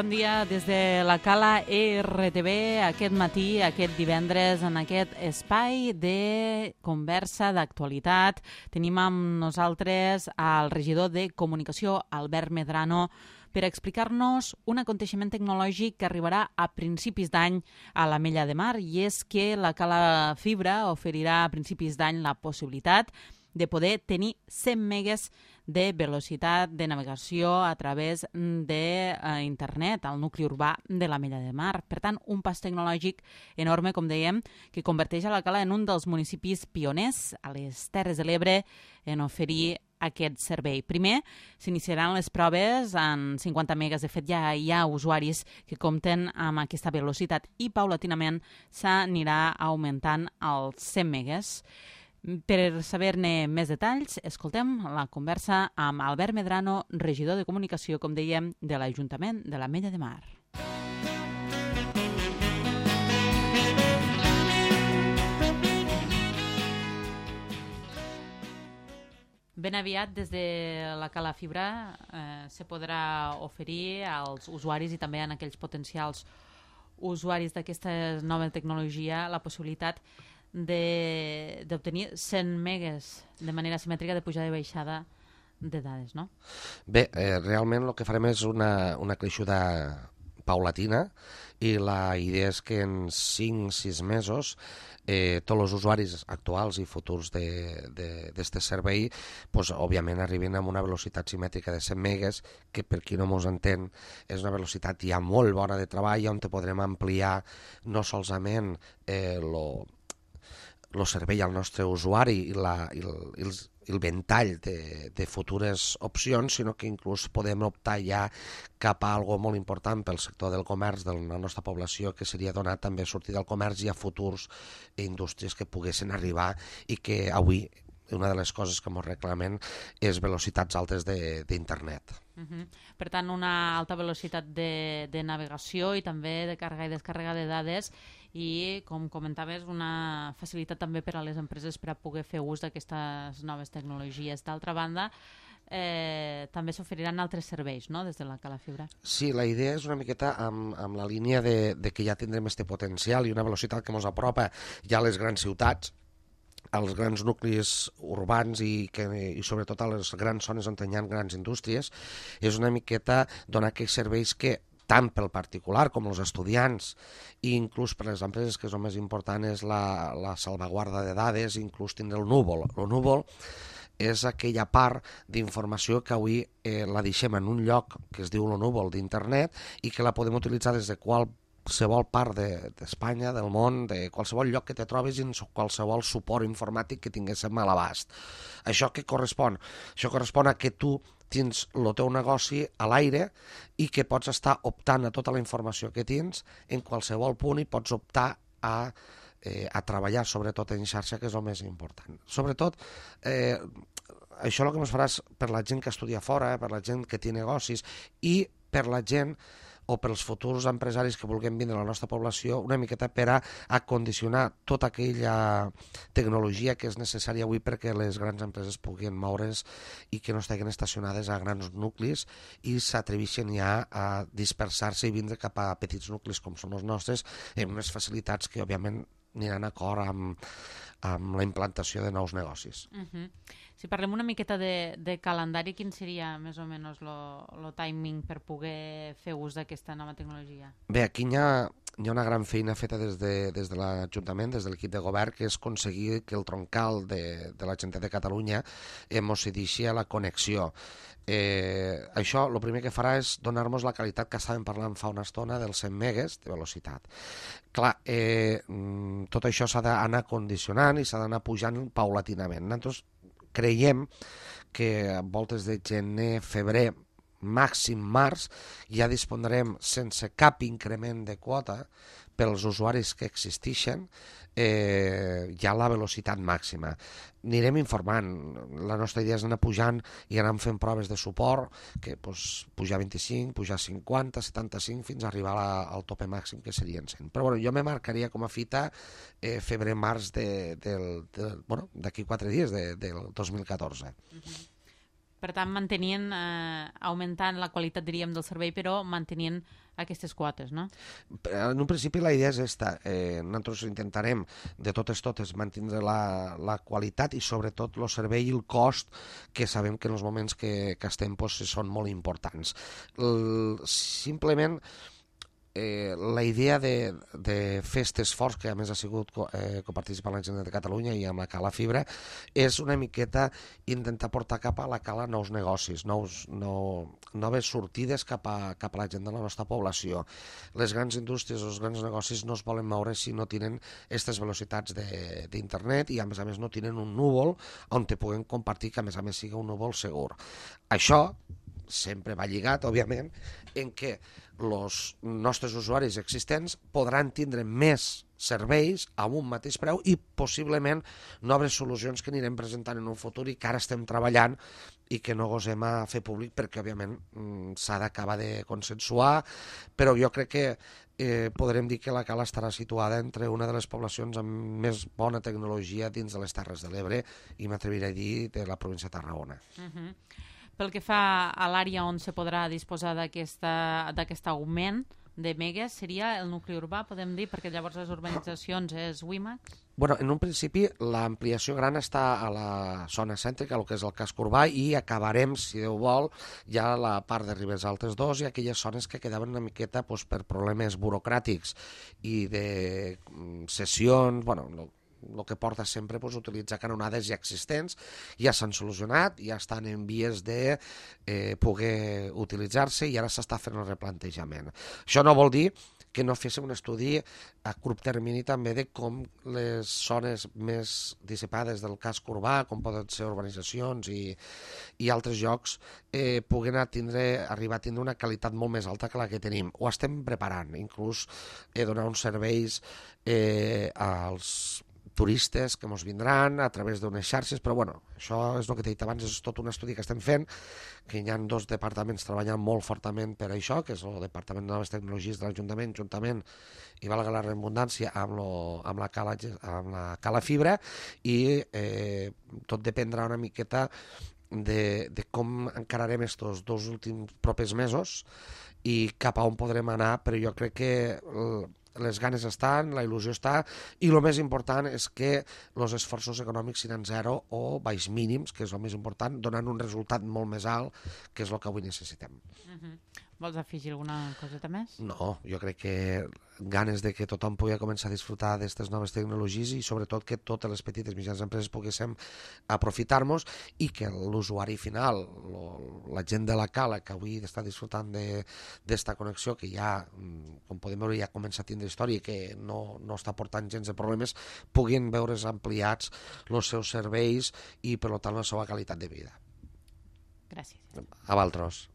Bon dia des de la Cala RTV aquest matí, aquest divendres, en aquest espai de conversa d'actualitat. Tenim amb nosaltres el regidor de Comunicació, Albert Medrano, per explicar-nos un aconteixement tecnològic que arribarà a principis d'any a l'Ametlla de Mar, i és que la Cala Fibra oferirà a principis d'any la possibilitat de poder tenir 100 megues de velocitat de navegació a través d'internet al nucli urbà de l'Ametlla de Mar. Per tant, un pas tecnològic enorme, com dèiem, que converteix a la Cala en un dels municipis pioners a les Terres de l'Ebre en oferir aquest servei. Primer, s'iniciaran les proves en 50 megas. De fet, ja hi ha usuaris que compten amb aquesta velocitat i paulatinament s'anirà augmentant als 100 megas. Per saber-ne més detalls, escoltem la conversa amb Albert Medrano, regidor de Comunicació, com dèiem, de l'Ajuntament de l'Ametlla de Mar. Ben aviat, des de la Cala Fibra, se podrà oferir als usuaris i també a aquells potencials usuaris d'aquesta nova tecnologia la possibilitat d'obtenir 100 megas de manera simètrica de pujada i baixada de dades, no? Bé, realment el que farem és una creixuda paulatina i la idea és que en 5-6 mesos tots els usuaris actuals i futurs d'aquest servei òbviament arriben a una velocitat simètrica de 100 megas, que per qui no mos entén és una velocitat ja molt bona de treball, on podrem ampliar no solament el servei al nostre usuari i el ventall de futures opcions, sinó que inclús podem optar ja cap a algo molt important pel sector del comerç de la nostra població, que seria donar també sortida al comerç i a futurs indústries que poguessin arribar i que avui una de les coses que ens reclamen és velocitats altes d'internet. Per tant, una alta velocitat de navegació i també de càrrega i descàrrega de dades i, com comentaves, una facilitat també per a les empreses per a poder fer ús d'aquestes noves tecnologies. D'altra banda, també s'oferiran altres serveis, no?, des de la Cala Fibra. Sí, la idea és una miqueta amb la línia de que ja tindrem este potencial i una velocitat que ens apropa ja a les grans ciutats, als grans nuclis urbans i sobretot a les grans zones on hi ha grans indústries. És una miqueta donar aquells serveis que tant pel particular com els estudiants i inclús per les empreses, que és el més important, és la salvaguarda de dades, inclús tindre el núvol. El núvol és aquella part d'informació que avui la deixem en un lloc que es diu el núvol d'internet i que la podem utilitzar des de qualsevol part d'Espanya, del món, de qualsevol lloc que te trobis i qualsevol suport informàtic que tinguéssim a l'abast. Això què correspon? Això correspon a que tu tens el teu negoci a l'aire i que pots estar optant a tota la informació que tens en qualsevol punt i pots optar a treballar sobretot en xarxa, que és el més important. Sobretot, això el que ens farà és per la gent que estudia fora, per la gent que té negocis i per la gent o pels futurs empresaris que vulguem vindre a la nostra població, una miqueta per a condicionar tota aquella tecnologia que és necessària avui perquè les grans empreses puguin moure's i que no estiguin estacionades a grans nuclis i s'atreveixen ja a dispersar-se i vindre cap a petits nuclis com són els nostres, amb unes facilitats que òbviament aniran d'acord amb la implantació de nous negocis. Si parlem una miqueta de calendari, quin seria més o menys el timing per poder fer ús d'aquesta nova tecnologia? Bé, aquí hi ha una gran feina feta des de l'Ajuntament, des de l'equip de govern, que és aconseguir que el troncal de la Generalitat de Catalunya mos cedeixi a la connexió. Això el primer que farà és donar-nos la qualitat que estàvem parlant fa una estona dels 100 megas de velocitat. Clar, tot això s'ha d'anar condicionant i s'ha d'anar pujant paulatinament. Nosaltres creiem que a voltes de gener, febrer, màxim març, ja dispondrem sense cap increment de quota pels usuaris que existeixen ja la velocitat màxima. Anirem informant. La nostra idea és anar pujant i anar fent proves de suport, que pujar 25, pujar 50, 75, fins a arribar al tope màxim, que serien 100. Però jo me marcaria com a fita febrer-març d'aquí 4 dies, del 2014. Per tant, augmentant la qualitat, diríem, del servei, però mantenint aquestes quotes, no? En un principi la idea és esta. Nosaltres intentarem de totes mantindre la qualitat i sobretot el servei i el cost, que sabem que en els moments que estem són molt importants. Simplement la idea de fer aquest esforç, que a més ha sigut coparticipant la gent de Catalunya i amb la Cala Fibra, és una miqueta intentar portar cap a la Cala nous negocis, noves sortides cap a la gent de la nostra població. Les grans indústries, els grans negocis no es volen moure si no tenen aquestes velocitats d'internet i a més no tenen un núvol on te puguen compartir, que a més sigui un núvol segur. Això sempre va lligat, òbviament, en què els nostres usuaris existents podran tindre més serveis a un mateix preu i possiblement noves solucions que anirem presentant en un futur i que ara estem treballant i que no gosem a fer públic perquè, òbviament, s'ha d'acabar de consensuar, però jo crec que podrem dir que la Cala estarà situada entre una de les poblacions amb més bona tecnologia dins de les Terres de l'Ebre i m'atreviré a dir de la província de Tarragona. Pel que fa a l'àrea on se podrà disposar d'aquest augment de megas, seria el nucli urbà, podem dir, perquè llavors les urbanitzacions és WiMAX? Bueno, en un principi l'ampliació gran està a la zona cèntrica, el que és el casc urbà, i acabarem, si Déu vol, ja la part de Ribes Altes 2 i aquelles zones que quedaven una miqueta per problemes burocràtics i de cessions, el que porta sempre utilitzar canonades ja existents, ja s'han solucionat, ja estan en vies de poder utilitzar-se i ara s'està fent el replantejament. Això no vol dir que no féssim un estudi a curt termini també de com les zones més dissipades del casc urbà, com poden ser urbanitzacions i altres llocs, puguen arribar a tindre una qualitat molt més alta que la que tenim. Ho estem preparant, inclús donar uns serveis als turistes que ens vindran a través d'unes xarxes, però això és el que t'he dit abans, és tot un estudi que estem fent, que hi ha 2 departaments treballant molt fortament per això, que és el Departament de Noves Tecnologies de l'Ajuntament, juntament, i valga la redundància, amb la Cala Fibra, i tot dependrà una miqueta de com encararem aquests 2 últims propers mesos i cap a on podrem anar, però jo crec que les ganes estan, la il·lusió està, i el més important és que els esforços econòmics siguin zero o baix mínims, que és el més important, donant un resultat molt més alt, que és el que avui necessitem. Vols afegir alguna coseta més? No, jo crec que ganes de que tothom pugui començar a disfrutar d'aquestes noves tecnologies i sobretot que totes les petites i mitjanes empreses poguéssim aprofitar-nos i que l'usuari final, la gent de la Cala que avui està disfrutant d'esta connexió que ja, com podem veure, ja comença a tindre història i que no està portant gens de problemes, puguin veure's ampliats els seus serveis i, per tant, la seva qualitat de vida. Gràcies. A vosaltres.